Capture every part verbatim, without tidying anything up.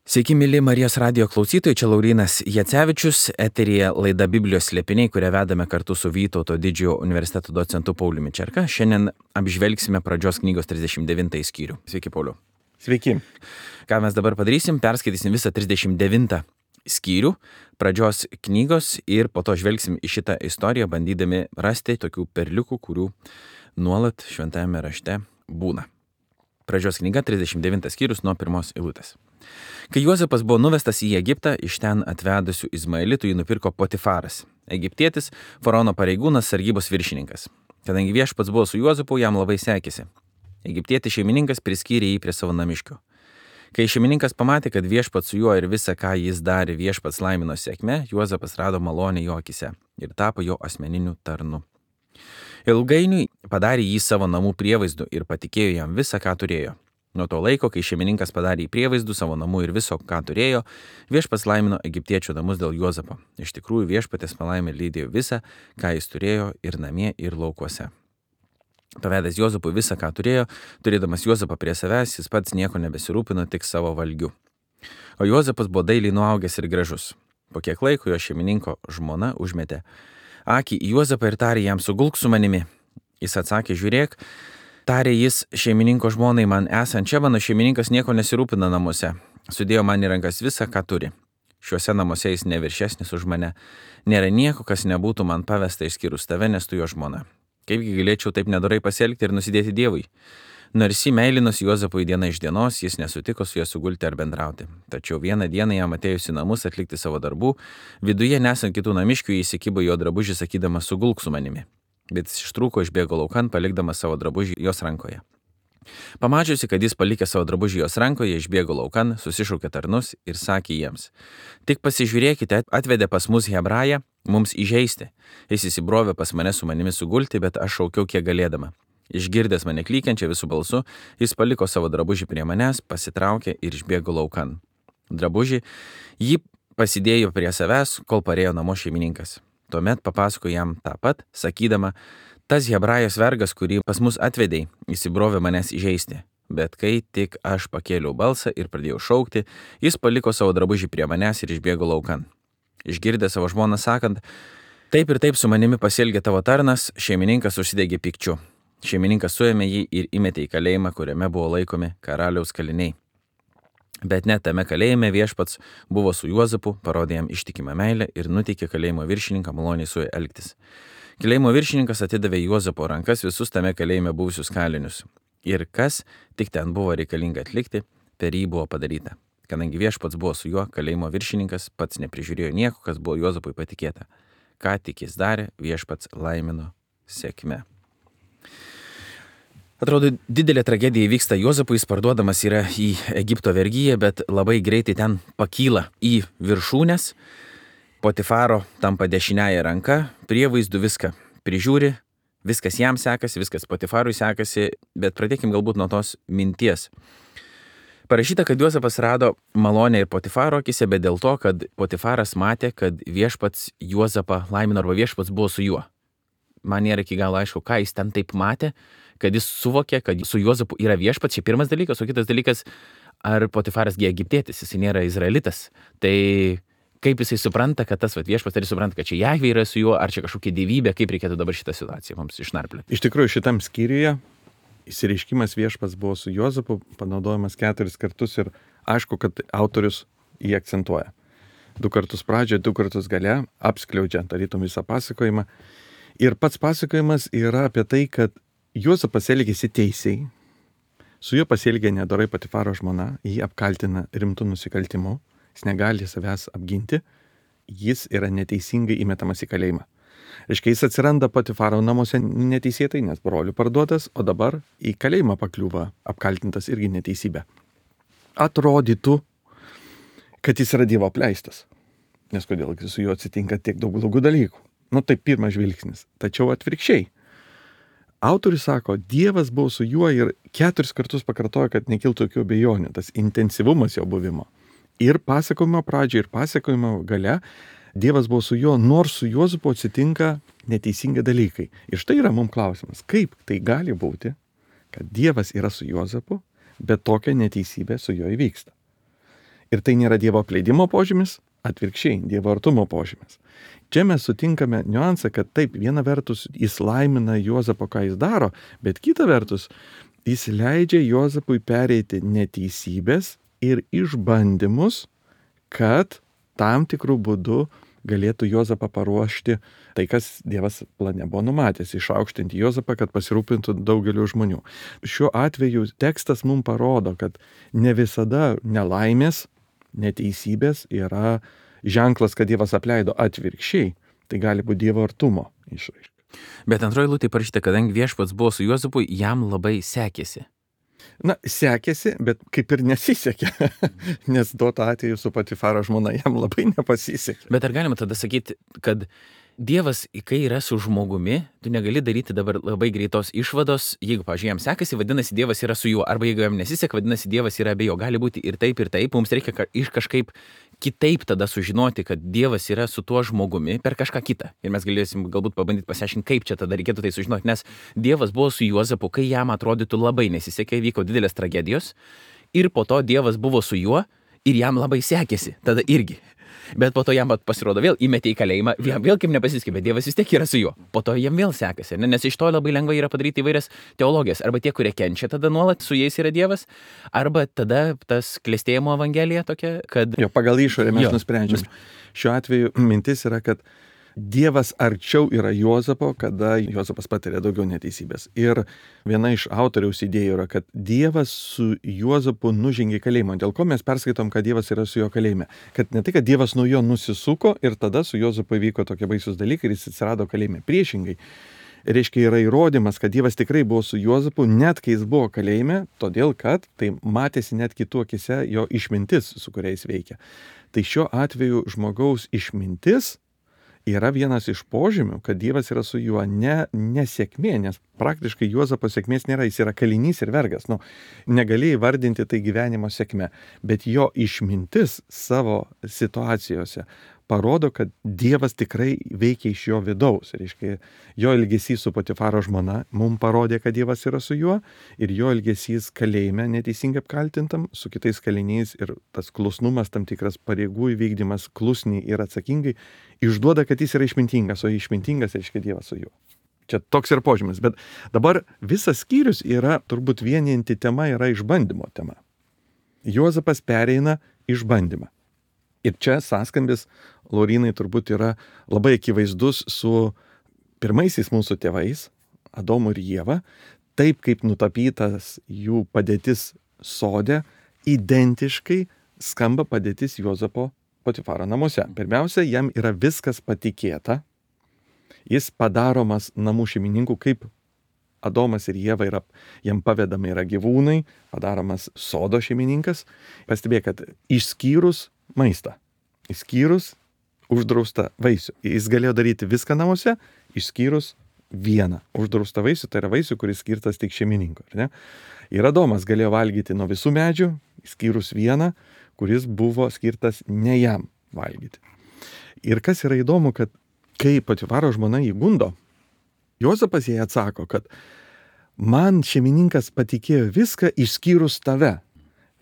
Sveiki, mėly Marijos radijo klausytojai, čia Laurynas Jacevičius, eteryje laida Biblijos slėpiniai, kurią vedame kartu su Vytauto didžiojo universiteto docentu Pauliumi Čerka. Šiandien apžvelgsime pradžios knygos trisdešimt devintąjį skyrių. Sveiki, Pauliu. Sveiki. Ką mes dabar padarysim? Perskaitysim visą trisdešimt devintą skyrių pradžios knygos ir po to žvelgsim į šitą istoriją, bandydami rasti tokių perliukų, kurių nuolat šventajame rašte būna. Pradžios knyga trisdešimt devintas skyrius nuo pirmos eilutės. Kai Juozapas buvo nuvestas į Egiptą, iš ten atvedusių Izmaelitų jį nupirko Potifaras, egiptietis, faraono pareigūnas, sargybos viršininkas. Kadangi viešpats buvo su Juozapu, jam labai sekėsi. Egiptietis šeimininkas priskyrė jį prie savo namiškių. Kai šeimininkas pamatė, kad viešpats su juo ir visa, ką jis darė, viešpats laimino sėkme, Juozapas rado malonę jo akise ir tapo jo asmeniniu tarnu. Ilgainiui padarė jį savo namų prievaizdu ir patikėjo jam visą, ką turėjo. Nuo to laiko, kai šeimininkas padarė į prievaizdų savo namų ir viso, ką turėjo, viešpats laimino egiptiečių namus dėl Juozapo. Iš tikrųjų, viešpatės palaimė lydėjo visą, ką jis turėjo ir namie, ir laukuose. Pavedęs Juozapui visą, ką turėjo, turėdamas Juozapą prie savęs, jis pats nieko nebesirūpino, tik savo valgiu. O Juozapas buvo dailiai nuaugęs ir gražus. Po kiek laiko jo šeimininko žmona užmetė akį į Juozapą ir tarė jam: sugulk su manimi. Jis atsakė: žiūrėk, tarė jis šeimininko žmonai, man esant čia, mano šeimininkas nieko nesirūpina namuose. Sudėjo man į rankas visą, ką turi. Šiuose namuose jis neviršesnis už mane. Nėra nieko, kas nebūtų man pavesta išskyrus tave, nes tu jo žmona. Kaipgi galėčiau taip nedorai pasielgti ir nusidėti Dievui? Nors jį meilinos Juozapui diena iš dienos, jis nesutiko su juo sugulti ar bendrauti. Tačiau vieną dieną jam atėjus į namus atlikti savo darbų, viduje nesant kitų namiškių, jis įsikibo jo drabužį, sakydamas: sugulk su manimi. Bet jis ištrūko, išbėgo laukan, palikdamas savo drabužį jos rankoje. Pamačiusi, kad jis palikė savo drabužį jos rankoje, išbėgo laukan, susišaukė tarnus ir sakė jiems: tik pasižiūrėkite, atvedė pas mus Hebrają, mums įžeisti. Jis įsibrovė pas mane su manimi sugulti, bet aš šaukiau kiek galėdama. Išgirdęs mane klykiančią visų balsu, jis paliko savo drabužį prie manęs, pasitraukė ir išbėgo laukan. Drabužį jį pasidėjo prie savęs, kol parėjo namo šeimininkas. Tuomet papasako jam tą pat, sakydama: tas Hebrajos vergas, kurį pas mus atvedei, įsibrovė manęs įžeisti. Bet kai tik aš pakėliau balsą ir pradėjau šaukti, jis paliko savo drabužį prie manęs ir išbėgo laukan. Išgirdęs savo žmoną sakant: taip ir taip su manimi pasielgė tavo tarnas, šeimininkas užsidegė pykčiu. Šeimininkas suėmė jį ir įmetė į kalėjimą, kuriame buvo laikomi karaliaus kaliniai. Bet net tame kalėjime viešpats buvo su Juozapu, parodė jam ištikimą meilę ir nuteikė kalėjimo viršininką maloniai su juo elgtis. Kalėjimo viršininkas atidavė Juozapo rankas visus tame kalėjime buvusius kalinius. Ir kas tik ten buvo reikalinga atlikti, per jį buvo padaryta. Kadangi viešpats buvo su juo, kalėjimo viršininkas pats neprižiūrėjo nieko, kas buvo Juozapui patikėta. Ką tik jis darė, viešpats laimino sėkme. Atrodo, didelė tragedija įvyksta Juozapui, jis parduodamas yra į Egipto vergyją, bet labai greitai ten pakyla į viršūnes. Potifaro tampa dešiniąja ranka, prievaizdų viską prižiūri, viskas jam sekasi, viskas Potifarui sekasi, bet pradėkim galbūt nuo tos minties. Parašyta, kad Juozapas rado malonę ir Potifaro akise, bet dėl to, kad Potifaras matė, kad viešpats Juozapą laimino arba viešpats buvo su juo. Man nėra iki galo aišku, ką jis ten taip matė, kad jis suvokė, kad su Juozapu yra viešpats, čia pirmas dalykas, o kitas dalykas, ar Potifaras gi egiptietis, jis nėra izraelitas. Tai kaip jisai supranta, kad tas vat, viešpats, ar jis supranta, kad čia Jahvė yra su juo, ar čia kažkokia dievybė, kaip reikėtų dabar šitą situaciją mums išnarplioti. Iš tikrųjų, šitam skyriuje išsireiškimas viešpats buvo su Juozapu panaudojamas keturis kartus ir aišku, kad autorius jį akcentuoja. Du kartus pradžioje, du kartus gale, apskliaudžia tarytum visą pasakojimą. Ir pats pasakojimas yra apie tai, kad Juozapas elgėsi teisiai, su juo pasielgė nedorai Potifaro žmona, jį apkaltina rimtų nusikaltimų, jis negali savęs apginti, jis yra neteisingai įmetamas į kalėjimą. Reiškia, jis atsiranda Potifaro namuose neteisėtai, nes brolių parduotas, o dabar į kalėjimą pakliūva apkaltintas irgi neteisybė. Atrodytų, kad jis yra Dievo apleistas, nes kodėl su juo atsitinka tiek daug blogų dalykų. Nu tai pirmas žvilgsnis, tačiau atvirkščiai. Autorius sako, Dievas buvo su juo ir keturis kartus pakartoja, kad nekiltų jokių abejonių, tas intensyvumas jo buvimo. Ir pasakojimo pradžioje, ir pasakojimo gale Dievas buvo su juo, nors su Juozapu atsitinka neteisingi dalykai. Ir štai yra mums klausimas, kaip tai gali būti, kad Dievas yra su Juozapu, bet tokia neteisybė su juo įvyksta. Ir tai nėra Dievo apleidimo požymis, atvirkščiai, Dievo artumo požymis. Čia mes sutinkame niuansą, kad taip, viena vertus jis laimina Juozapą, ką jis daro, bet kita vertus jis leidžia Juozapui pereiti neteisybės ir išbandymus, kad tam tikrų būdų galėtų Juozapą paruošti tai, kas Dievas plane buvo numatęs, išaukštinti Juozapą, kad pasirūpintų daugeliu žmonių. Šiuo atveju tekstas mums parodo, kad ne visada nelaimės, neteisybės yra ženklas, kad Dievas apleido, atvirkščiai. Tai gali būti Dievo artumo išraiška. Bet antroji eilutė parašyta, kadangi viešpats buvo su Juozapu, jam labai sekėsi. Na, sekėsi, bet kaip ir nesisekė, nes duoto atveju su Patifaro žmona jam labai nepasisekė. Bet ar galima tada sakyti, kad Dievas, kai yra su žmogumi, tu negali daryti dabar labai greitos išvados, jeigu, pavyzdžiui, jam sekasi, vadinasi, Dievas yra su juo, arba jeigu jam nesiseka, vadinasi, Dievas yra be jo. Gali būti ir taip, ir taip, mums reikia iš kažkaip kitaip tada sužinoti, kad Dievas yra su tuo žmogumi per kažką kitą. Ir mes galėsim galbūt pabandyti pasiaiškinti, kaip čia tada reikėtų tai sužinoti, nes Dievas buvo su Juozapu, kai jam atrodytų labai nesisekė, vyko didelės tragedijos, ir po to Dievas buvo su juo ir jam labai sekėsi, tada irgi. Bet po to jam pasirodo vėl įmetė į kalėjimą, jam vėl kaip nepasisekė, bet Dievas vis tiek yra su juo. Po to jam vėl sekasi, ne? Nes iš to labai lengva yra padaryti įvairias teologijas. Arba tie, kurie kenčia, tada nuolat su jais yra Dievas, arba tada tas klestėjimo evangelija tokia, kad... Jo, pagal išorę mes jo. nusprendžiam. Šiuo atveju mintis yra, kad Dievas arčiau yra Juozapo, kada Juozapas patiria daugiau neteisybės. Ir viena iš autoriaus idėjų yra, kad Dievas su Juozapu nužengė kalėjimą. Dėl ko mes perskaitom, kad Dievas yra su jo kalėjime. Kad ne tai, kad Dievas nuo jo nusisuko ir tada su Juozapu įvyko tokie baisus dalykai ir jis atsirado kalėjime. Priešingai. Reiškia, yra įrodymas, kad Dievas tikrai buvo su Juozapu, net kai jis buvo kalėjime, todėl kad tai matėsi net kitų akise jo išmintis, su kuriais veikia. Tai šiuo atveju žmogaus išmintis yra vienas iš požymių, kad Dievas yra su juo, ne nesėkmė, nes praktiškai Juozapo sėkmės nėra, jis yra kalinys ir vergas. Nu, negali įvardinti tai gyvenimo sėkme, bet jo išmintis savo situacijose parodo, kad Dievas tikrai veikia iš jo vidaus. Reiškia, jo elgesys su Patifaro žmona mums parodė, kad Dievas yra su juo, ir jo elgesys kalėjime neteisingai apkaltintam su kitais kaliniais ir tas klusnumas, tam tikras pareigų įvykdymas klusniai ir atsakingai išduoda, kad jis yra išmintingas, o išmintingas reiškia Dievas su juo. Čia toks ir požymis, bet dabar visas skyrius yra, turbūt vienijanti tema yra išbandymo tema. Juozapas pereina išbandymą. Ir čia sąskambis, Laurinai, turbūt yra labai akivaizdus su pirmaisiais mūsų tėvais, Adomu ir Ieva, taip kaip nutapytas jų padėtis sode, identiškai skamba padėtis Juozapo Patifaro namuose. Pirmiausia, jam yra viskas patikėta, jis padaromas namų šeimininkų, kaip Adomas ir Ieva yra, jam pavedami yra gyvūnai, padaromas sodo šeimininkas. Pastebėk, kad išskyrus maistą, išskyrus uždraustą vaisių. Jis galėjo daryti viską namuose, išskyrus vieną uždraustą vaisių, tai yra vaisių, kuris skirtas tik šeimininko. Ne? Ir Adomas galėjo valgyti nuo visų medžių, išskyrus vieną, kuris buvo skirtas ne jam valgyti. Ir kas yra įdomu, kad kai Patifaro žmona jį gundo, Juozapas jai atsako, kad man šeimininkas patikėjo viską išskyrus tave.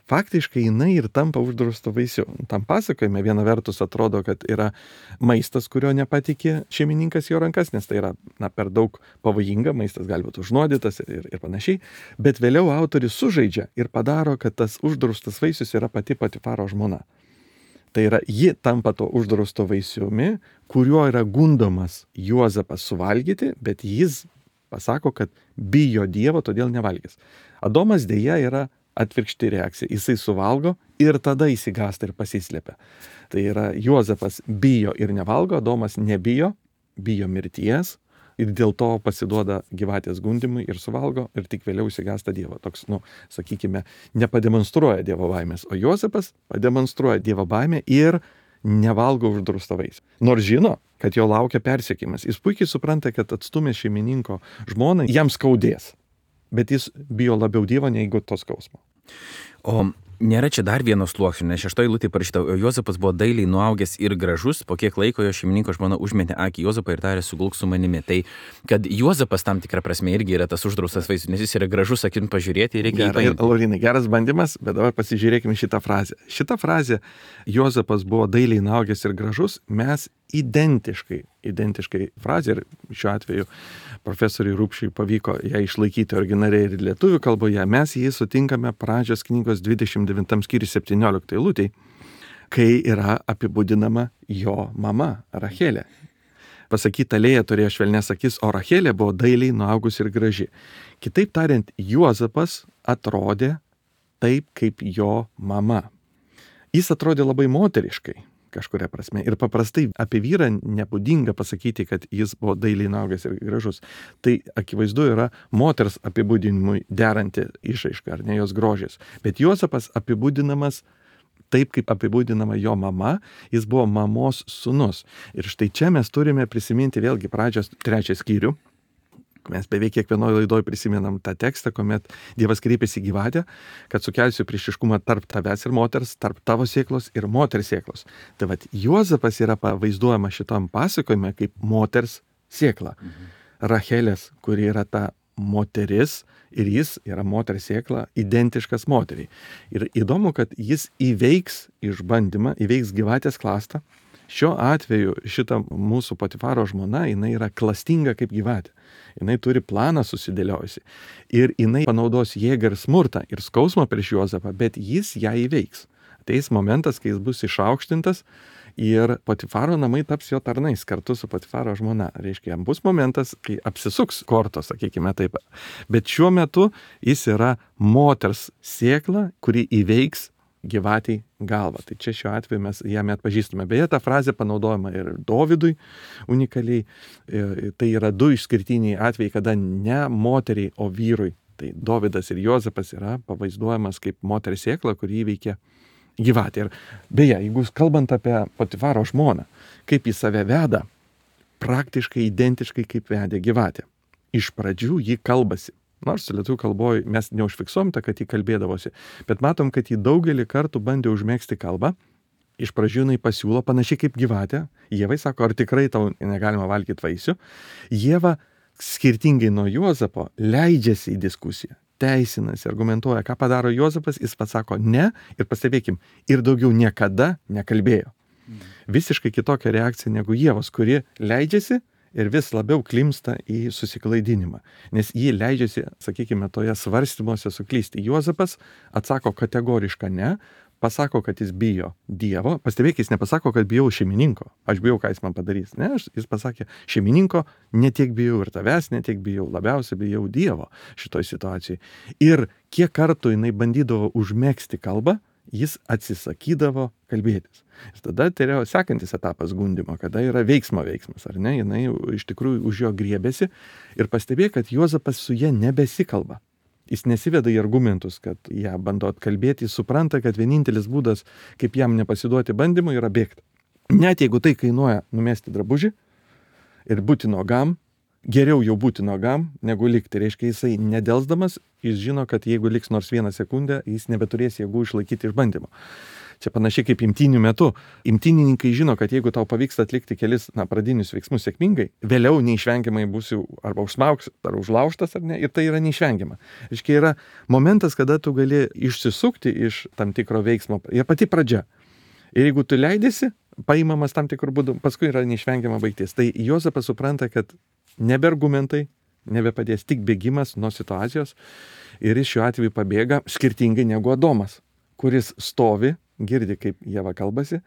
Faktiškai jinai ir tampa uždrausto vaisiu. Tam pasakojime viena vertus atrodo, kad yra maistas, kurio nepatikė šeimininkas jo rankas, nes tai yra na, per daug pavojinga, maistas gali būti užnuodytas ir, ir panašiai. Bet vėliau autorius sužaidžia ir padaro, kad tas uždraustas vaisius yra pati Patifaro žmona. Tai yra, ji tampa to uždrausto vaisiumi, kuriuo yra gundomas Juozapas suvalgyti, bet jis pasako, kad bijo Dievo, todėl nevalgys. Adomas dėja yra atvirkšti reakcija. Jisai suvalgo ir tada įsigąsta ir pasislėpia. Tai yra, Juozapas bijo ir nevalgo, Adomas nebijo, bijo mirties ir dėl to pasiduoda gyvatės gundimui ir suvalgo ir tik vėliau įsigąsta Dievo. Toks, nu, sakykime, nepademonstruoja Dievo baimės, o Juozapas pademonstruoja Dievo baimę ir nevalgo uždraustą vaisių. Nors žino, kad jo laukia persekiojimas. Jis puikiai supranta, kad atstumęs šeimininko žmoną, jam skaudės. Bet jis bijo labiau Dievo negu to skausmo. O Nėra čia dar vieno sluoksnio, nes šeštoji eilutė parašyta, o Juozapas buvo dailiai nuaugęs ir gražus, po kiek laiko jo šeimininko žmona užmetė akį Juozapą ir tarė sugulk su manimi. Tai kad Juozapas tam tikrą prasme irgi yra tas uždraustas vaisius, nes jis yra gražus, akim pažiūrėti ir reikia Gerai, Laurinai, geras bandymas, bet dabar pasižiūrėkime šitą frazę. Šitą frazę Juozapas buvo dailiai nuaugęs ir gražus, mes identiškai, identiškai frazė ir šiuo atveju profesoriui Rupšiui pavyko ją išlaikyti originaliai ir lietuvių kalboje, mes jį sutinkame Pradžios knygos dvidešimt devintam skyriui septynioliktai eilutei, kai yra apibūdinama jo mama Rachelė. Pasakyta, Lėja turėjo švelnes akis, o Rachelė buvo dailiai nuaugus ir graži. Kitaip tariant, Juozapas atrodė taip, kaip jo mama. Jis atrodė labai moteriškai kažkuria prasme. Ir paprastai apie vyrą nebūdinga pasakyti, kad jis buvo dailiai nuaugęs ir gražus. Tai akivaizdu yra moters apibūdinimui deranti išraiška, ar ne jos grožis. Bet Juozapas apibūdinamas taip, kaip apibūdinama jo mama, jis buvo mamos sūnus. Ir štai čia mes turime prisiminti vėlgi Pradžios trečią skyrių. Mes beveik kiekvienoje laidoje prisimenam tą tekstą, kuomet Dievas kreipėsi į gyvatę, kad sukelsiu priešiškumą tarp tavęs ir moters, tarp tavo sėklos ir moters sėklos. Tai vat Juozapas yra pavaizduojama šitam pasakojime kaip moters sėkla. Mhm. Rachelės, kuri yra ta moteris ir jis yra moters sėkla, identiškas moteriai. Ir įdomu, kad jis įveiks išbandymą, įveiks gyvatės klastą. Šiuo atveju šita mūsų Potifaro žmona, jinai yra klastinga kaip gyvatė. Jinai turi planą susidėliojusi. Ir jinai panaudos jėgą ir smurtą ir skausmą prieš Juozapą, bet jis ją įveiks. Ateis momentas, kai jis bus išaukštintas ir Potifaro namai taps jo tarnais kartu su Potifaro žmona. Reiškia, jam bus momentas, kai apsisuks kortos, sakykime taip. Bet šiuo metu jis yra moters sėkla, kuri įveiks gyvatiai galvą. Tai čia šiuo atveju mes jame atpažįstume. Beje, ta frazė panaudojama ir Dovydui unikaliai. Tai yra du išskirtiniai atvejai, kada ne moteriai, o vyrui. Tai Dovydas ir Juozapas yra pavaizduojamas kaip moters sėkla, kuri įveikia gyvatę. Ir beje, jeigu kalbant apie Potifaro žmoną, kaip jis save veda, praktiškai identiškai kaip vedė gyvatė. Iš pradžių jį kalbasi. Nors lietuvių kalboje mes neužfiksuom tą, kad jį kalbėdavosi, bet matom, kad jį daugelį kartų bandė užmėgsti kalbą. Iš pradžių jinai pasiūlo panašiai kaip gyvatė. Ievai sako, ar tikrai tau negalima valgyti vaisių. Ieva, skirtingai nuo Juozapo, leidžiasi į diskusiją, teisinasi, argumentuoja, ką padaro Juozapas, jis pats sako ne ir pastebėkim, ir daugiau niekada nekalbėjo. Visiškai kitokia reakcija negu Ievos, kuri leidžiasi ir vis labiau klimsta į susiklaidinimą. Nes jį leidžiasi, sakykime, toje svarstymuose suklysti. Juozapas atsako kategorišką ne, pasako, kad jis bijo Dievo. Pastebėk, jis nepasako, kad bijau šeimininko. Aš bijau, ką jis man padarys. Ne, jis pasakė, šeimininko netiek bijau ir tavęs, netiek bijau, labiausiai bijau Dievo šitoj situacijai. Ir kiek kartų jinai bandydavo užmegzti kalbą, jis atsisakydavo kalbėtis. Ir tada tai yra sekantis etapas gundymo, kada yra veiksmo veiksmas, ar ne? Jinai iš tikrųjų už jo griebėsi ir pastebėjo, kad Juozapas su ja nebesikalba. Jis nesiveda į argumentus, kad ją bando atkalbėti, jis supranta, kad vienintelis būdas, kaip jam nepasiduoti bandymui, yra bėgti. Net jeigu tai kainuoja numesti drabužį ir būti nuogam, geriau jau būti nuogam, negu likti. Reiškia, jisai nedelsdamas, jis žino, kad jeigu liks nors vieną sekundę, jis nebeturės jėgų išlaikyti išbandymo. Čia panašiai kaip imtynių metu. Imtynininkai žino, kad jeigu tau pavyks atlikti kelis na, pradinius veiksmus sėkmingai, vėliau neišvengiamai būsi arba užsmaugs, ar užlaužtas, ar ne, ir tai yra neišvengiama. Reiškia, yra momentas, kada tu gali išsisukti iš tam tikro veiksmo. Ir pati pradžia. Ir jeigu tu leidėsi, paimamas tam tikrų būdų, paskui yra neišvengiama baigtis. Tai Juozapas supranta, kad nebe argumentai, nebepadės tik bėgimas nuo situacijos ir jis šiuo atveju pabėga skirtingai negu Adomas, kuris stovi, girdi, kaip Ieva kalbasi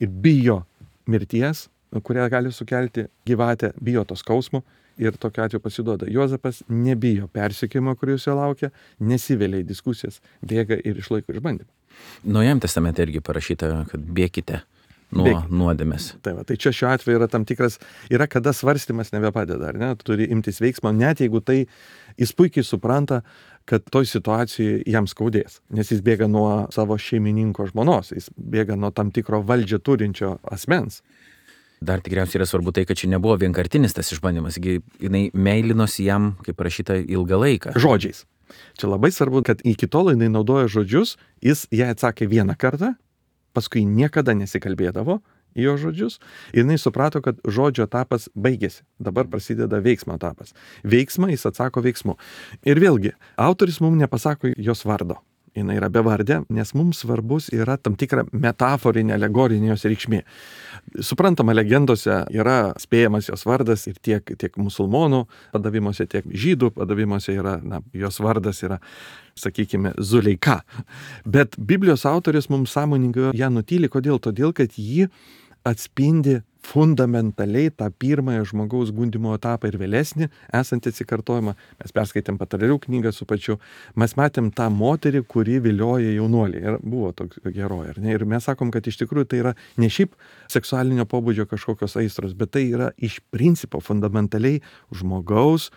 ir bijo mirties, kurią gali sukelti gyvatė, bijo to skausmo ir tokiu atveju pasiduoda. Juozapas nebijo persekiojimo, kuris jo laukia, nesivelia į diskusijas, bėga ir išlaiko išbandymą. Naujajame testamente irgi parašyta, kad bėkite nuo Bėk. nuodėmės. Tai, va, tai čia šiuo atveju yra tam tikras, yra kada svarstymas nebepadeda, ar ne? Tu turi imtis veiksmo, net jeigu tai jis puikiai supranta, kad toj situacijai jam skaudės, nes jis bėga nuo savo šeimininko žmonos, jis bėga nuo tam tikro valdžią turinčio asmens. Dar tikriausiai yra svarbu tai, kad čia nebuvo vienkartinis tas išbandymas, jinai meilinosi jam, kaip parašyta, ilgą laiką. Žodžiais. Čia labai svarbu, kad iki tol jinai naudoja žodžius, jis ją atsakė vieną kartą, paskui niekada nesikalbėdavo į jo žodžius ir jinai suprato, kad žodžio etapas baigėsi. Dabar prasideda veiksmo etapas. Veiksmą jis atsako veiksmu. Ir vėlgi, autoris mums nepasako jos vardo. Jinai yra bevardė, nes mums svarbus yra tam tikra metaforinė, alegorinė jos reikšmė. Suprantama, legendose yra spėjamas jos vardas ir tiek, tiek musulmonų padavimuose, tiek žydų padavimuose yra, na, jos vardas yra, sakykime, Zuleika. Bet Biblijos autoris mums sąmoningai ją nutyli. Kodėl? Todėl, kad ji atspindi fundamentaliai tą pirmąją žmogaus gundymo etapą ir vėlesnį esantį atsikartojimą. Mes perskaitėm Patarlių knygą su pačiu. Mes matėm tą moterį, kuri vilioja jaunuolį. Ir buvo toks herojai, ar ne? Ir mes sakom, kad iš tikrųjų tai yra ne šiaip seksualinio pobūdžio kažkokios aistros, bet tai yra iš principo fundamentaliai žmogaus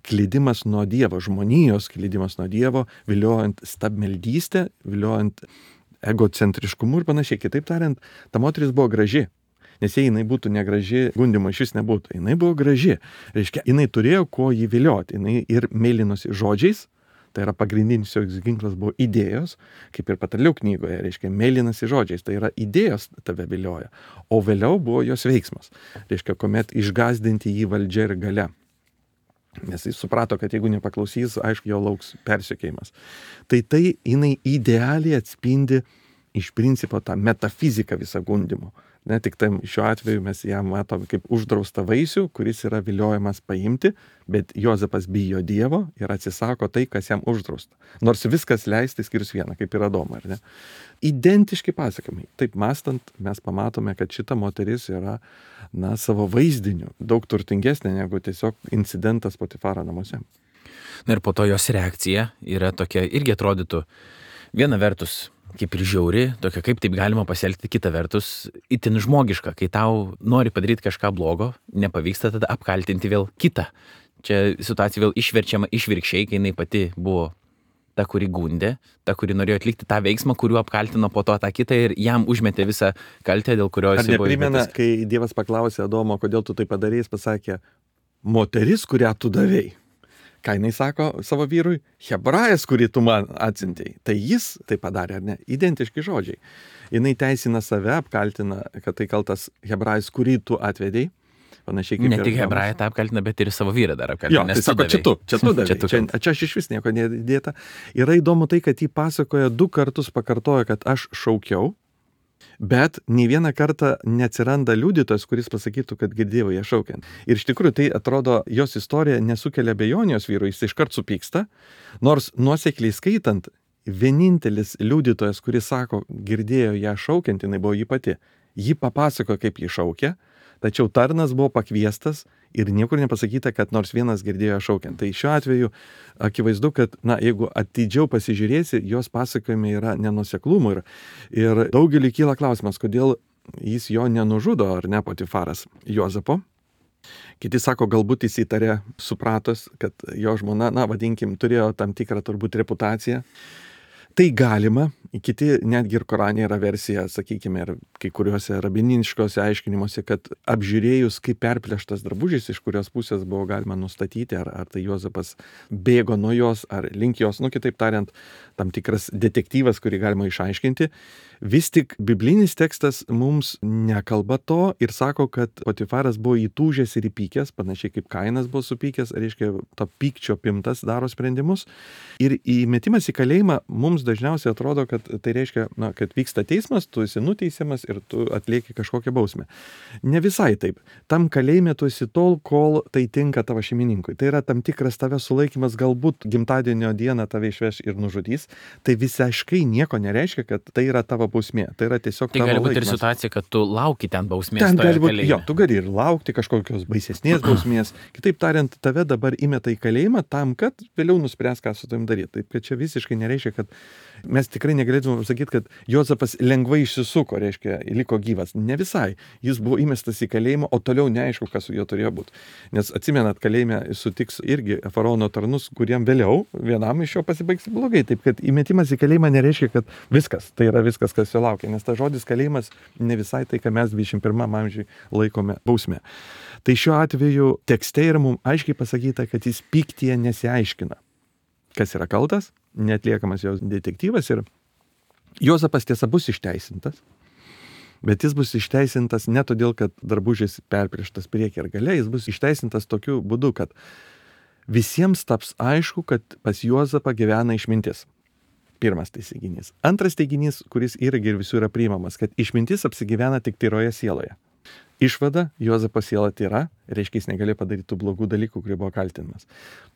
klydimas nuo Dievo, žmonijos klydimas nuo Dievo, viliojant stabmeldystę, viliojant egocentriškumu ir panašiai. Kitaip tariant, ta moteris buvo graži. Nes jei jinai būtų negraži, gundymo iš vis nebūtų. Jinai buvo graži. Reiškia, jinai turėjo ko jį vilioti. Jinai ir mėlynosi žodžiais, tai yra pagrindinis jos ginklas buvo idėjos, kaip ir Patarlių knygoje, reiškia, mėlynosi žodžiais, tai yra idėjos tave vilioja. O vėliau buvo jos veiksmas. Reiškia, kuomet išgazdinti jį valdžia ir galia. Nes jis suprato, kad jeigu nepaklausys, aišku, jo lauks persekėjimas. Tai tai jinai idealiai atspindi iš principo tą metafiziką visą gundymo. Ne, tik tam šiuo atveju mes ją matom kaip uždraustą vaisių, kuris yra viliojamas paimti, bet Jozapas bijo Dievo ir atsisako tai, kas jam uždrausta. Nors viskas leisti skirius vieną, kaip ir Adomą, ar ne? Identiški pasakymai. Taip mąstant, mes pamatome, kad šita moteris yra, na, savo vaizdiniu daug turtingesnė negu tiesiog incidentas Potifaro namuose. Na ir po to jos reakcija yra tokia, irgi atrodytų, viena vertus kaip ir žiauri, tokia kaip taip galima pasielgti, kita vertus itin žmogiška, kai tau nori padaryti kažką blogo, nepavyksta tada apkaltinti vėl kitą. Čia situacija vėl išverčiama išvirkščiai, kai jinai pati buvo ta, kuri gundė, ta, kuri norėjo atlikti tą veiksmą, kuriuo apkaltino po to tą kitą ir jam užmetė visą kaltę, dėl kurios jis buvo. Ar neprimena, kai Dievas paklausė Adomo, kodėl tu tai padarei, jis pasakė, moteris, kurią tu davei. Ką jinai sako savo vyrui? Hebrajas, kurį tu man atsintei. Tai jis tai padarė, ar ne? Identiški žodžiai. Jinai teisina save, apkaltina, kad tai kaltas hebrajas, kurį tu atvedei. Panašiai kaip ne tik hebrają tą apkaltina, bet ir savo vyrą dar apkaltina. Jo, tai sako, čia tu, čia tu davei. čia, tu čia, čia aš iš vis nieko nedėta. Yra įdomu tai, kad jį pasakoja du kartus pakartoja, kad aš šaukiau, bet nei vieną kartą neatsiranda liudytojas, kuris pasakytų, kad girdėjau ją šaukiant. Ir iš tikrųjų tai atrodo, jos istorija nesukelia abejonės vyrui, jis iškart supyksta, nors nuosekliai skaitant, vienintelis liudytojas, kuris sako, girdėjo ją šaukiant, jinai buvo jį pati. Ji papasako, kaip jį šaukia, tačiau tarnas buvo pakviestas ir niekur nepasakyta, kad nors vienas girdėjo šaukiant. Tai šiuo atveju akivaizdu, kad, na, jeigu atidžiau pasižiūrėsi, jos pasakojime yra nenuoseklumų ir, ir daugeliu kyla klausimas, kodėl jis jo nenužudo, ar ne, Potifaras Jozapo. Kiti sako, galbūt jis įtarė, supratos, kad jo žmona, na, vadinkim, turėjo tam tikrą turbūt reputaciją. Tai galima, kiti netgi ir Korane yra versija, sakykime, ir kai kuriuose rabiniškose aiškinimuose, kad apžiūrėjus, kaip perplėštas drabužis, iš kurios pusės buvo galima nustatyti, ar, ar tai Jozapas bėgo nuo jos, ar link jos, nu kitaip tariant, tam tikras detektyvas, kurį galima išaiškinti. Vis tik biblinis tekstas mums nekalba to ir sako, kad Potifaras buvo įtūžęs ir įpykęs, panašiai kaip Kainas buvo supykęs, reiškia, to pykčio pimtas daro sprendimus. Ir įmetimas į kalėjimą mums dažniausiai atrodo, kad tai reiškia, na, kad vyksta teismas, tu esi nuteisiamas ir tu atlieki kažkokią bausmę. Ne visai taip. Tam kalėjime tu esi tol, kol tai tinka tavo šeimininkui. Tai yra tam tikras tavęs sulaikymas, galbūt gimtadienio dieną tave išveš ir nužudys. Tai visiškai nieko nereiškia, kad tai yra tavo bausmė. Tai yra tiesiog tai tavo gali būti ir laikymas. situacija, kad tu lauki ten bausmės. Ten gali būti, kalėjime. jo, tu gali ir laukti kažkokios baisesnės bausmės. Kitaip tariant, tave dabar įmeta į kalėjimą tam, kad vėliau nuspręs, ką su tavim daryti. Taip, kad čia visiškai nereiškia, kad mes tikrai negalėtume pasakyti, kad Jozapas lengvai išsisuko, reiškia, liko gyvas. Ne visai. Jis buvo įmestas į kalėjimą, o toliau neaišku, kas su juo turėjo būti. Nes atsimenat, kalėjime sutiks irgi faraono tarnus, kuriem vėliau vienam iš jo pasibaigs blogai. Taip, kad įmetimas į kalėjimą nereiškia, kad viskas, tai yra viskas, kas jo laukia. Nes tas žodis kalėjimas ne visai tai, ką mes dvidešimt pirmam amžiui laikome bausmė. Tai šiuo atveju tekste yra mums aiškiai pasakyta, kad jis pyktyje nesiaiškina. kas yra kaltas, netliekamas jos detektyvas ir Juozapas tiesa bus išteisintas, bet jis bus išteisintas ne todėl, kad drabužis perprieštas priekį ir gale, jis bus išteisintas tokiu būdu, kad visiems taps aišku, kad pas Juozapą gyvena išmintis. Pirmas teiginys. Antras teiginys, kuris irgi ir visų yra priimamas, kad išmintis apsigyvena tik tyroje sieloje. Išvada, Juozapo siela tyra, reiškia jis negalėjo padaryti tų blogų dalykų, kurie buvo kaltinimas.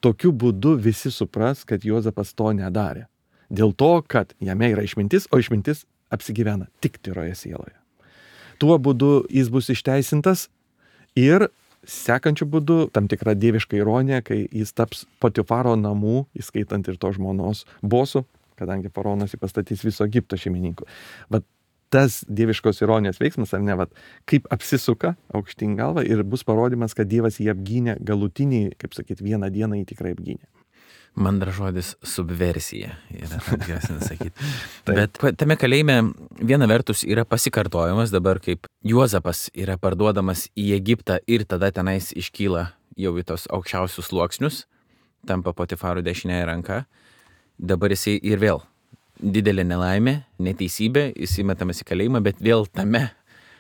Tokiu būdu visi supras, kad Juozapas to nedarė. Dėl to, kad jame yra išmintis, o išmintis apsigyvena tik tyroje sieloje. Tuo būdu jis bus išteisintas ir sekančiu būdu tam tikra dieviška ironija, kai jis taps Potifaro namų, įskaitant ir to žmonos bosu, kadangi faraonas jį pastatys viso Egipto šeimininkų. Vat tas dieviškos ironijos veiksmas, ar ne, vat, kaip apsisuka aukštyn galvą ir bus parodymas, kad Dievas jį apgynė galutiniai, kaip sakyt, vieną dieną jį tikrai apgynė. Man dar žodis subversija yra atgrasina sakyti. Bet tame kalėjime viena vertus yra pasikartojimas dabar, kaip Juozapas yra parduodamas į Egiptą ir tada tenais iškyla jau į tos aukščiausius sluoksnius, tampa Potifaro dešinėje ranka. Dabar jisai ir vėl didelė nelaimė, neteisybė, jis įmetamas į kalėjimą, bet vėl tame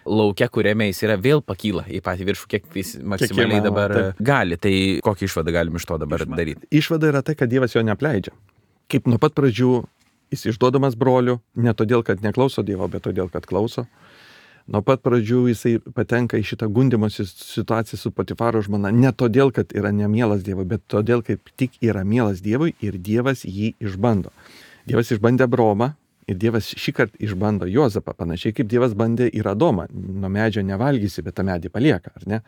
lauke, kuriame jis yra, vėl pakyla į patį viršų, kiek jis maksimaliai Kiek dabar taip. gali. Tai kokią išvadą galim iš to dabar Išvada. daryti? Išvada yra tai, kad Dievas jo neapleidžia. Kaip nuo pat pradžių jis išduodamas brolių, ne todėl, kad neklauso Dievo, bet todėl, kad klauso. Nuo pat pradžių jisai patenka į šitą gundymo situaciją su Potifaro žmona, ne todėl, kad yra nemielas Dievui, bet todėl, kaip tik yra mielas Dievui ir Dievas jį išbando. Dievas išbandė Abraomą ir Dievas šį kartą išbando Juozapą, panašiai kaip Dievas bandė ir Adomą. Nuo medžio nevalgysi, bet tą medį palieka, ar ne?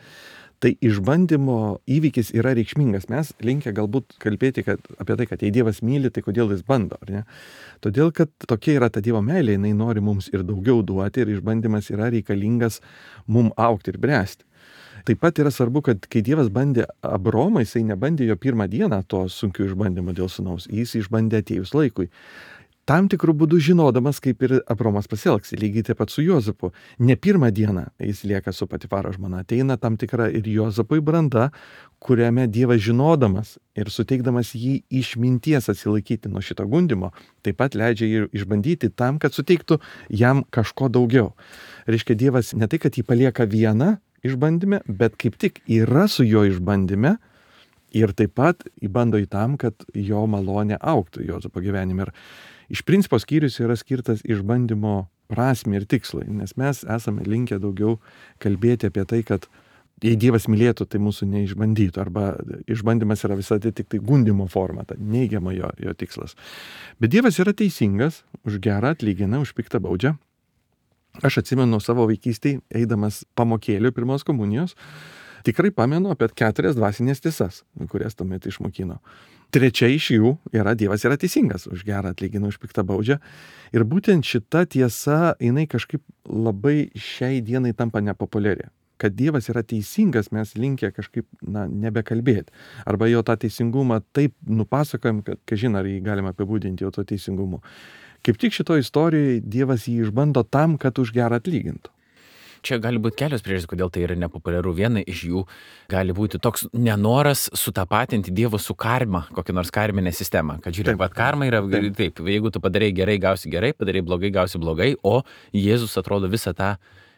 Tai išbandymo įvykis yra reikšmingas. Mes linkę galbūt kalbėti kad, apie tai, kad jei Dievas myli, tai kodėl jis bando, ar ne? Todėl, kad tokia yra ta Dievo meilė, jinai nori mums ir daugiau duoti ir išbandymas yra reikalingas mum augti ir bręsti. Taip pat yra svarbu, kad kai Dievas bandė Abromą, jisai nebandė jo pirmą dieną to sunkių išbandymų dėl sūnaus, jis išbandė atėjus laikui. Tam tikrų būdų žinodamas, kaip ir Abromas pasielgs, lygiai taip pat su Juozapu. Ne pirmą dieną jis lieka su Potifaro žmona, ateina tam tikra ir Juozapui branda, kuriame Dievas žinodamas ir suteikdamas jį išminties atsilaikyti nuo šito gundymo, taip pat leidžia jį išbandyti tam, kad suteiktų jam kažko daugiau. Reiškia, Dievas ne tai, kad jį palieka vieną išbandyme, bet kaip tik yra su jo išbandyme ir taip pat įbando į tam, kad jo malonė augtų Juozapo gyvenime. Ir iš principo skyrius yra skirtas išbandymo prasmei ir tikslai, nes mes esame linkę daugiau kalbėti apie tai, kad jei Dievas mylėtų, tai mūsų neišbandytų, arba išbandymas yra visada tik tai gundymo forma, ta neigiama jo, jo tikslas. Bet Dievas yra teisingas, už gerą atlygina, už piktą baudžia. Aš atsimenu savo vaikystėj, eidamas pamokėlių pirmos komunijos, tikrai pamenu apie keturias dvasinės tiesas, kurias tuomet išmokino. Trečia iš jų yra Dievas yra teisingas, už gerą atlygina, už piktą baudžia. Ir būtent šita tiesa, jinai kažkaip labai šiai dienai tampa nepopuliari. Kad Dievas yra teisingas, mes linkę kažkaip, na, nebekalbėti. Arba jo tą teisingumą taip nupasakojam, kad, kažin, ar jį galima apibūdinti jo to teisingumu. Kaip tik šitoje istorijoje Dievas jį išbando tam, kad už gerą atlygintų. Čia gali būti kelios priežastys, kodėl tai yra nepopuliaru. Viena iš jų gali būti toks nenoras sutapatinti Dievo su karma, kokią nors karminę sistemą. Kad žiūrėk, bet karma yra taip. taip, jeigu tu padarai gerai, gausi gerai, padarai blogai, gausi blogai, o Jėzus atrodo visą tą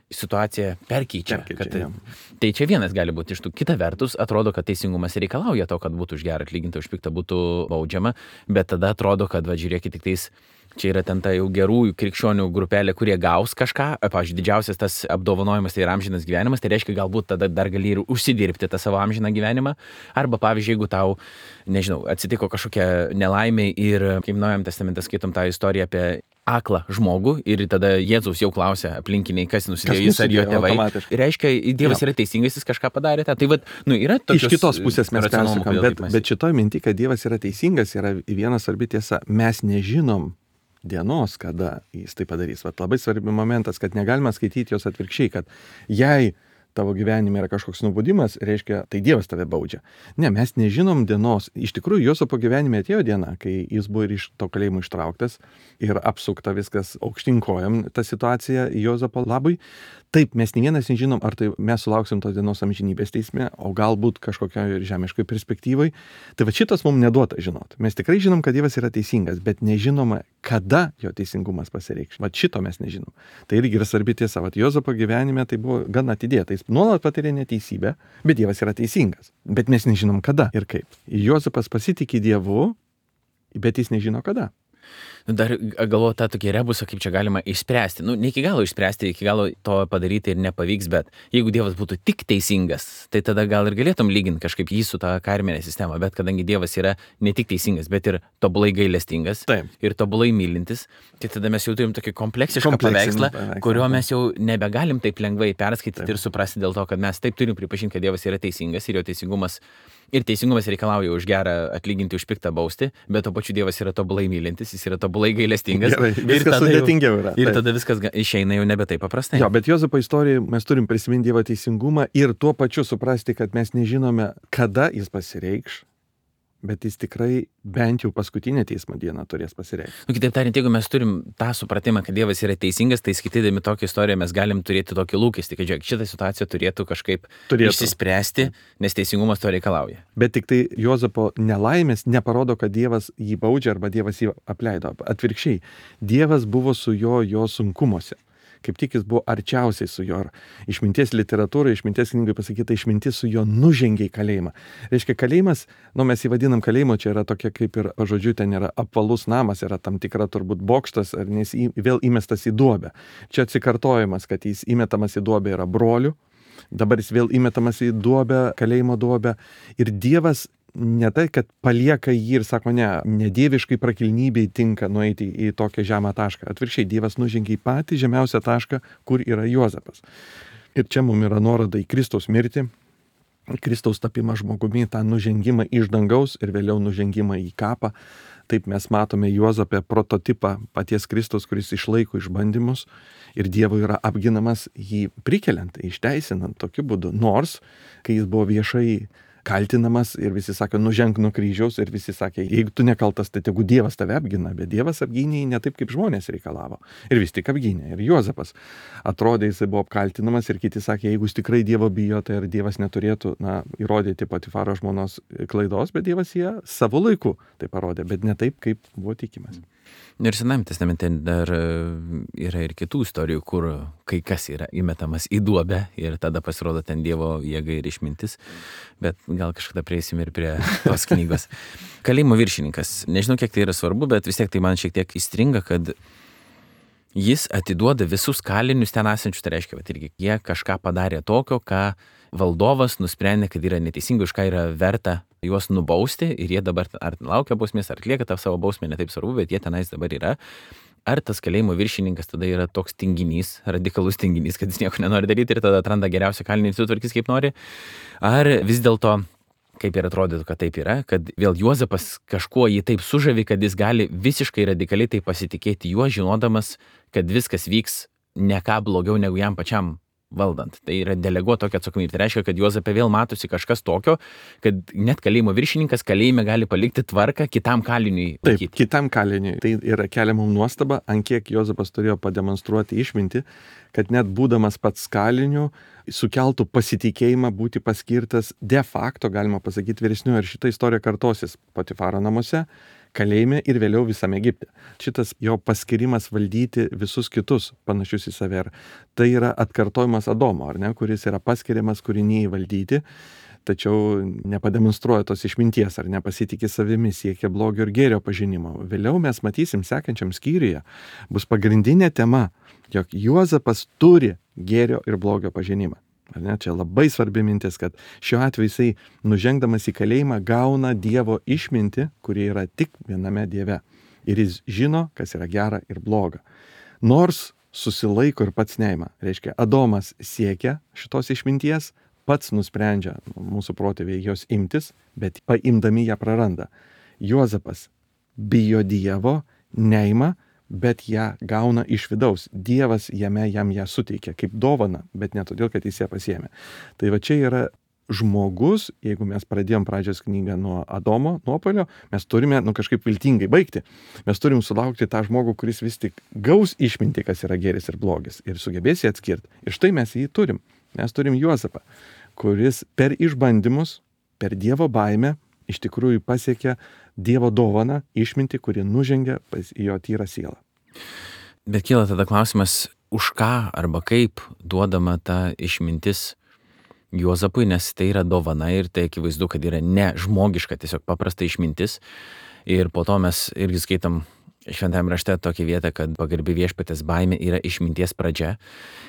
situaciją perkeičia. Perkeičia, kad, ja. Tai čia vienas gali būti iš tų. Kita vertus, atrodo, kad teisingumas reikalauja to, kad būtų už gerą atlyginta, už piktą būtų baudžiama, bet tada atrodo, kad, va, žiūrėkit, tik tais čia yra ten ta jau gerųjų krikščionių grupelė, kurie gaus kažką. Pavyzdžiui, didžiausias tas apdovanojimas tai yra amžinas gyvenimas, tai reiškia, galbūt tada dar gali ir užsidirbti tą savo amžiną gyvenimą. Arba, pavyzdžiui, jeigu tau, nežinau, atsitiko kažkokia nelaimė ir, kaip Naujajame testamente skaitom tą istoriją apie aklą žmogų ir tada Jėzaus jau klausia aplinkiniai, kas nusidėjo, jis ar jo tėvai. Reiškia, Dievas ja. yra teisingas, jis kažką padarė. Tai vat, nu, yra tokios, iš kitos pusės mes persukam, bet, bet šitoj minty, kad Dievas yra teisingas, yra viena svarbi tiesa. Mes nežinom dienos, kada jis tai padarys. Vat labai svarbi momentas, kad negalima skaityti jos atvirkščiai, kad jei tavo gyvenime yra kažkoks nubudimas, reiškia, tai Dievas tave baudžia. Ne, mes nežinom dienos. Iš tikrųjų, Juozapo gyvenime atėjo diena, kai jis buvo ir iš to kalėjimo ištrauktas ir apsukta viskas aukštyn kojom, ta situacija Juozapo labui. Taip, mes ne vienas nežinom, ar tai mes sulauksim tos dienos amžinybės teisme, o galbūt kažkokioje žemiškoje perspektyvoje. Tai va šitas mums neduota žinot. Mes tikrai žinom, kad Dievas yra teisingas, bet nežinoma, kada jo teisingumas pasireikš. Va šito mes nežinom. Tai irgi yra svarbi tiesa. Va Juozapo gyvenime tai buvo gan atidėta. Jis nuolat patiria neteisybę, bet Dievas yra teisingas. Bet mes nežinom kada ir kaip. Juozapas pasitikė Dievu, bet jis nežino kada. Dar galvoju tą tokį rebusą, kaip čia galima išspręsti. Nu, ne iki galo išspręsti, iki galo to padaryti ir nepavyks, bet jeigu Dievas būtų tik teisingas, tai tada gal ir galėtum lyginti kažkaip jį su tą karminė sistema, bet kadangi Dievas yra ne tik teisingas, bet ir tobulai gailestingas Taip. ir tobulai mylintis, tai tada mes jau turim tokį kompleksišką paveikslą, paveikslą, kurio taip. mes jau nebegalim taip lengvai perskaityti taip. Ir suprasti dėl to, kad mes taip turim pripažinti, kad Dievas yra teisingas ir jo teisingumas Ir teisingumas reikalauja už gerą atlyginti, už piktą bausti, bet to pačiu Dievas yra tobulai mylintis, jis yra tobulai gailestingas. Gerai, viskas sudėtingiau yra. Ir taip. tada viskas išeina jau nebe taip paprastai. Jo, bet Juozapo istorijoje mes turim prisiminti Dievo teisingumą ir tuo pačiu suprasti, kad mes nežinome, kada jis pasireikš, bet jis tikrai bent jau paskutinę teismo dieną turės pasireikšti. Nu, kitaip tariant, jeigu mes turim tą supratimą, kad Dievas yra teisingas, tai skaitydami tokią istoriją mes galim turėti tokį lūkestį, kad žiūrėk, šitą situaciją turėtų kažkaip turėtų. išsispręsti, nes teisingumas to reikalauja. Bet tik tai Juozapo nelaimės neparodo, kad Dievas jį baudžia arba Dievas jį apleido. Atvirkščiai, Dievas buvo su jo jo sunkumuose. Kaip tik jis buvo arčiausiai su jo. Išminties literatūrai, išminties knygai pasakyta, išmintis su jo nužengė į kalėjimą. Reiškia, kalėjimas, nu mes jį vadinam kalėjimo, čia yra tokia kaip ir, žodžiu, ten yra apvalus namas, yra tam tikra turbūt bokštas, ar nes į, vėl įmestas į duobę. Čia atsikartojimas, kad jis įmetamas į duobę yra brolių, dabar jis vėl įmetamas į duobę, kalėjimo duobę. Ir Dievas ne tai, kad palieka jį ir sako, ne, nedieviškai prakilnybei tinka nueiti į tokią žemą tašką. Atvirkščiai, Dievas nužengė į patį žemiausią tašką, kur yra Juozapas. Ir čia mums yra nuoroda į Kristaus mirtį, Kristaus tapimą žmogumi, tą nužengimą iš dangaus ir vėliau nužengimą į kapą. Taip mes matome Juozapę prototipą paties Kristaus, kuris išlaiko išbandymus ir Dievo yra apginamas jį prikeliant, išteisinant tokiu būdu. Nors, kai jis buvo viešai kaltinamas ir visi sakė, nuženk nuo kryžiaus ir visi sakė, jeigu tu nekaltas, tai tegu Dievas tave apgina, bet Dievas apgynė ne taip, kaip žmonės reikalavo. Ir vis tik apgynė. Ir Juozapas atrodė, jisai buvo apkaltinamas ir kiti sakė, jeigu jis tikrai Dievo bijo, tai ir Dievas neturėtų, na, įrodyti Potifaro žmonos klaidos, bet Dievas ją savo laiku tai parodė, bet ne taip, kaip buvo tikimas. Ir Senajame testamente dar yra ir kitų istorijų, kur kai kas yra įmetamas į duobę ir tada pasirodo ten Dievo jėga ir išmintis, bet gal kažkada prieisim ir prie tos knygos. Kalėjimo viršininkas. Nežinau, kiek tai yra svarbu, bet vis tiek tai man šiek tiek įstringa, kad jis atiduoda visus kalinius ten esančius, tai reiškia, kad irgi jie kažką padarė tokio, ką valdovas nusprendė, kad yra neteisinga, už ką yra verta juos nubausti ir jie dabar ar laukia bausmės, ar atlieka tą savo bausmę, ne taip svarbu, bet jie tenais dabar yra. Ar tas kalėjimo viršininkas tada yra toks tinginys, radikalus tinginys, kad jis nieko nenori daryti ir tada atranda geriausią kalinį ir sutvarkys kaip nori? Ar vis dėlto, kaip ir atrodytų, kad taip yra, kad vėl Juozapas kažkuo jį taip sužavi, kad jis gali visiškai radikaliai taip pasitikėti juo, žinodamas, kad viskas vyks ne ką blogiau negu jam pačiam valdant. Tai yra deleguoti tokia atsakomybė. Tai reiškia, kad Juozape vėl matosi kažkas tokio, kad net kalėjimo viršininkas kalėjime gali palikti tvarką kitam kaliniui. Taip, laikyti. kitam kaliniui. Tai yra keliama nuostaba, ant kiek Juozapas turėjo pademonstruoti išmintį, kad net būdamas pats kaliniu sukeltų pasitikėjimą būti paskirtas de facto, galima pasakyti, vyresniu. Ir šita istorija kartosis Potifaro namuose, kalėjime ir vėliau visame Egipte. Šitas jo paskirimas valdyti visus kitus panašius į save. Tai yra atkartojimas Adomo, ar ne, kuris yra paskiriamas kūrinijai valdyti, tačiau nepademonstruoja tos išminties ar nepasitikė savimi, siekia blogio ir gėrio pažinimo. Vėliau mes matysim sekančiam skyriuje, bus pagrindinė tema, jog Juozapas turi gėrio ir blogio pažinimą. Ar ne? Čia labai svarbi mintis, kad šiuo atveju jisai nužengdamas į kalėjimą gauna Dievo išmintį, kuri yra tik viename Dieve. Ir jis žino, kas yra gera ir bloga. Nors susilaiko ir pats neima. Reiškia, Adomas siekia šitos išminties, pats nusprendžia mūsų protėviai jos imtis, bet paimdami ją praranda. Juozapas bijo Dievo, neima, bet ją gauna iš vidaus. Dievas jame jam ją suteikia kaip dovana, bet ne todėl, kad jis ją pasiėmė. Tai va čia yra žmogus, jeigu mes pradėjom pradžios knygą nuo Adomo nuopuolio, mes turime nu, kažkaip viltingai baigti. Mes turim sulaukti tą žmogų, kuris vis tik gaus išminti, kas yra gėris ir blogis, ir sugebės jį atskirti. Ir štai mes jį turim. Mes turim Juozapą, kuris per išbandymus, per Dievo baimę iš tikrųjų pasiekia Dievo dovaną, išmintį, kuri nužengia pas jo tyrą sielą. Bet kyla tada klausimas, už ką arba kaip duodama ta išmintis Juozapui, nes tai yra dovana ir tai akivaizdu, kad yra ne žmogiška, tiesiog paprasta išmintis. Ir po to mes irgi skaitom Šventajame rašte tokią vietą, kad pagarbi viešpatės baimė yra išminties pradžia.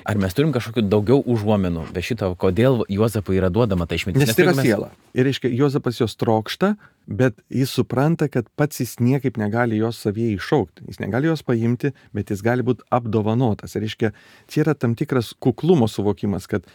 Ar mes turim kažkokių daugiau užuomenų be šito, kodėl Juozapui yra duodama ta išmintis? Nes tai yra mes... siela. Ir reiškia, Juozapas jos trokšta, bet jis supranta, kad pats jis niekaip negali jos savyje iššaukti. Jis negali jos paimti, bet jis gali būti apdovanotas. Ir reiškia, čia yra tam tikras kuklumo suvokimas, kad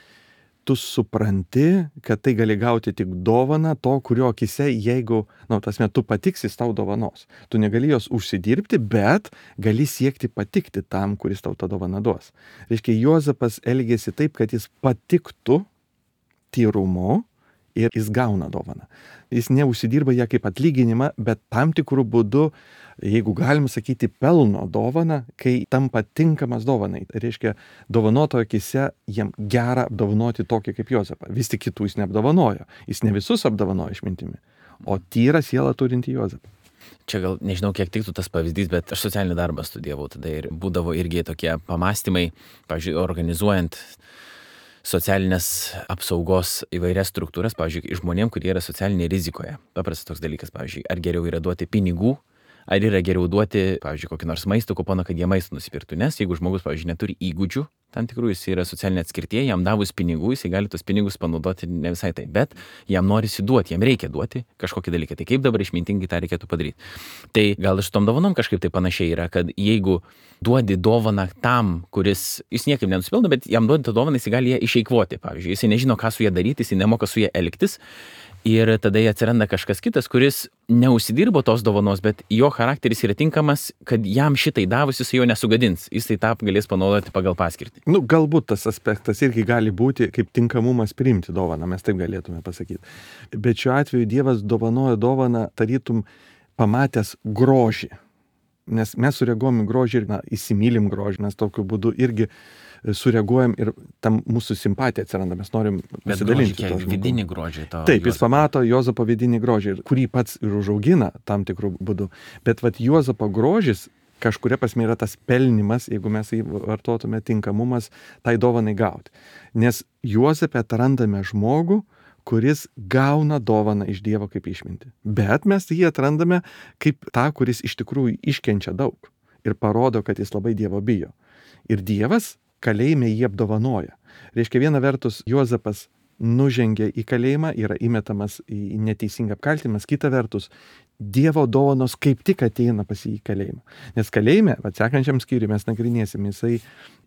tu supranti, kad tai gali gauti tik dovaną to, kurio akise, jeigu, na, nu, tas met, tu patiksis tau dovanos. Tu negali jos užsidirbti, bet gali siekti patikti tam, kuris tau tą dovaną duos. Reiškia, Juozapas elgėsi taip, kad jis patiktų tyrumu ir jis gauna dovaną. Jis neužsidirba ją kaip atlyginimą, bet tam tikrų būdų, jeigu galim sakyti, pelno dovaną, kai tampa tinkamas dovanai. Tai reiškia, dovanotojo akise jam gera apdovanoti tokį kaip Juozapą. Vis tik kitų jis neapdovanojo. Jis ne visus apdovanojo išmintimi, o tyrą sielą turinti Juozapą. Čia gal nežinau, kiek tiktų tas pavyzdys, bet aš socialinį darbą studijavau tada ir būdavo irgi tokie pamastymai, pavyzdžiui, organizuojant socialinės apsaugos įvairias struktūras, pavyzdžiui, žmonėm, kurie yra socialinėje rizikoje. Paprastas toks dalykas, pavyzdžiui, ar geriau yra duoti pinigų, ar yra geriau duoti, pavyzdžiui, kokį nors maisto kuponą, kad jie maistą nusipirktų. Nes jeigu žmogus, pavyzdžiui, neturi įgūdžių, tam tikrų jis yra socialinė atskirtie, jam davus pinigų, jis gali tos pinigus panaudoti ne visai tai, bet jam norisi duoti, jam reikia duoti kažkokį dalyką. Tai kaip dabar išmintingai tą reikėtų padaryti? Tai gal iš tom dovanom kažkaip tai panašiai yra, kad jeigu duodi dovaną tam, kuris, jis niekaip nenusipildo, bet jam duodi tą dovaną, jis gali ją išeikvoti. Pavyzdžiui, jis nežino, ką su ją daryti, jis nemoka su ją elgtis. Ir tada atsiranda kažkas kitas, kuris neužsidirbo tos dovanos, bet jo charakteris yra tinkamas, kad jam šitai davus jis jo nesugadins. Jis tai tą galės panaudoti pagal paskirtį. Nu, galbūt tas aspektas irgi gali būti kaip tinkamumas priimti dovaną, mes taip galėtume pasakyti. Bet šiuo atveju Dievas dovanoja dovaną tarytum pamatęs grožį. Nes mes sureaguojam į grožį ir na, įsimylim grožį, mes tokiu būdu irgi sureaguojam ir tam mūsų simpatija atsiranda, mes norim pasidalinti. Bet vidinį grožį to. Taip, jis pamato Juozapo vidinį grožį, kurį pats ir užaugina tam tikrų būdų. Bet vat Juozapo grožis kažkuria prasme yra tas pelnimas, jeigu mes jį vartotume, tinkamumas tai dovanai gauti. Nes Juozape atrandame žmogų, kuris gauna dovaną iš Dievo kaip išmintį. Bet mes jį atrandame kaip tą, kuris iš tikrųjų iškenčia daug ir parodo, kad jis labai Dievo bijo. Ir Dievas kalėjime jį apdovanoja. Reiškia, viena vertus Juozapas nužengia į kalėjimą, yra įmetamas į neteisingą apkaltinimas, kita vertus Dievo dovanos kaip tik ateina pas jį į kalėjimą. Nes kalėjime, atsekančiam skyriui mes nagrinėsim, jisai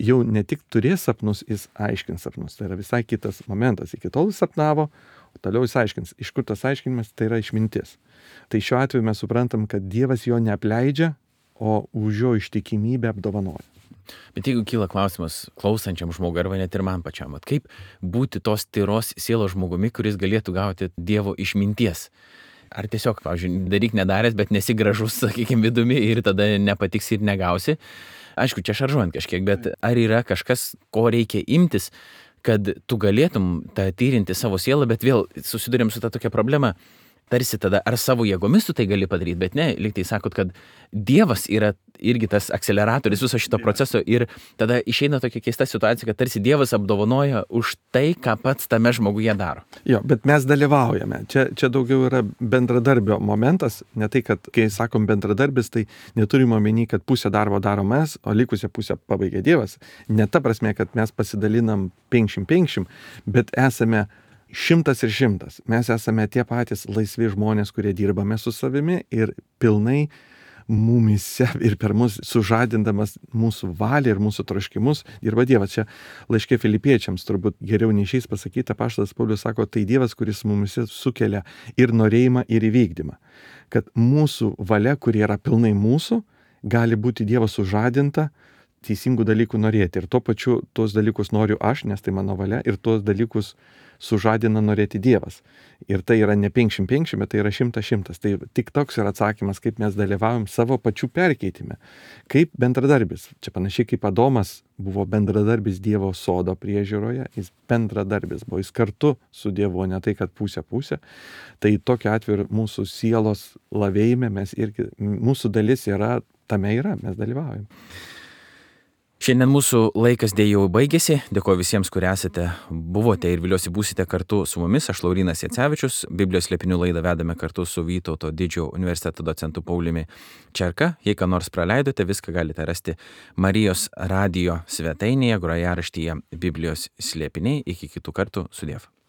jau ne tik turės sapnus, jis aiškins sapnus. Tai yra visai kitas momentas. Iki tol jis sapnavo, o toliau jis aiškins. Iš kur tas aiškinimas, tai yra išmintis. Tai šiuo atveju mes suprantam, kad Dievas jo neapleidžia, o už jo ištikimybę apdovanoja. Bet jeigu kyla klausimas klausančiam žmogui arba net ir man pačiam, at kaip būti tos tyros sielos žmogumi, kuris galėtų gauti Dievo išminties? Ar tiesiog, pavyzdžiui, daryk nedaręs, bet nesi gražus, sakykime, vidumi ir tada nepatiksi ir negausi? Aišku, čia šaržuojant kažkiek, bet ar yra kažkas, ko reikia imtis, kad tu galėtum tą tyrinti savo sielą, bet vėl susidurėm su ta tokia problema. Tarsi tada, ar savo jėgomis tu tai gali padaryti, bet ne, lyg tai sakot, kad Dievas yra irgi tas akceleratorius viso šito proceso ir tada išeina tokia keista situacija, kad tarsi Dievas apdovanoja už tai, ką pats tame žmoguje daro. Jo, bet mes dalyvaujame. Čia, čia daugiau yra bendradarbio momentas, ne tai, kad kai sakom bendradarbis, tai neturime omeny, kad pusę darbo darom mes, o likusią pusę pabaigia Dievas. Ne ta prasme, kad mes pasidalinam penkšim penkšim, bet esame šimtas ir šimtas. Mes esame tie patys laisvi žmonės, kurie dirbame su savimi ir pilnai mumise ir per mus sužadindamas mūsų valią ir mūsų troškimus dirba Dievas. Čia laiške Filipiečiams turbūt geriau nei šiais pasakyta, apaštalas Paulius sako, tai Dievas, kuris mumise sukelia ir norėjimą, ir įvykdymą. Kad mūsų valia, kuri yra pilnai mūsų, gali būti Dievo sužadinta teisingų dalykų norėti. Ir tuo pačiu tuos dalykus noriu aš, nes tai mano valia, ir tuos dalykus sužadina norėti Dievas. Ir tai yra ne penkšim penkšim, bet tai yra šimtas šimtas. Tai tik toks yra atsakymas, kaip mes dalyvaujam savo pačių perkeitime. Kaip bendradarbis. Čia panašiai kaip Adomas buvo bendradarbis Dievo sodo priežiūroje, jis bendradarbis buvo, jis kartu su Dievu, ne tai, kad pusė pusė. Tai tokiu atveju mūsų sielos lavėjime mes irgi, mūsų dalis yra, tame yra, mes dalyvaujam. Šiandien mūsų laikas dėja jau baigėsi. Dėkoju visiems, kurie esate, buvote ir viliuosi būsite kartu su mumis. Aš Laurynas Jacevičius. Biblijos slėpinių laidą vedame kartu su Vytauto didžiojo universiteto docentu Pauliumi Čerka. Jei ką nors praleidote, viską galite rasti Marijos radijo svetainėje, grojaraštyje Biblijos slėpiniai. Iki kitų kartų, sudiev.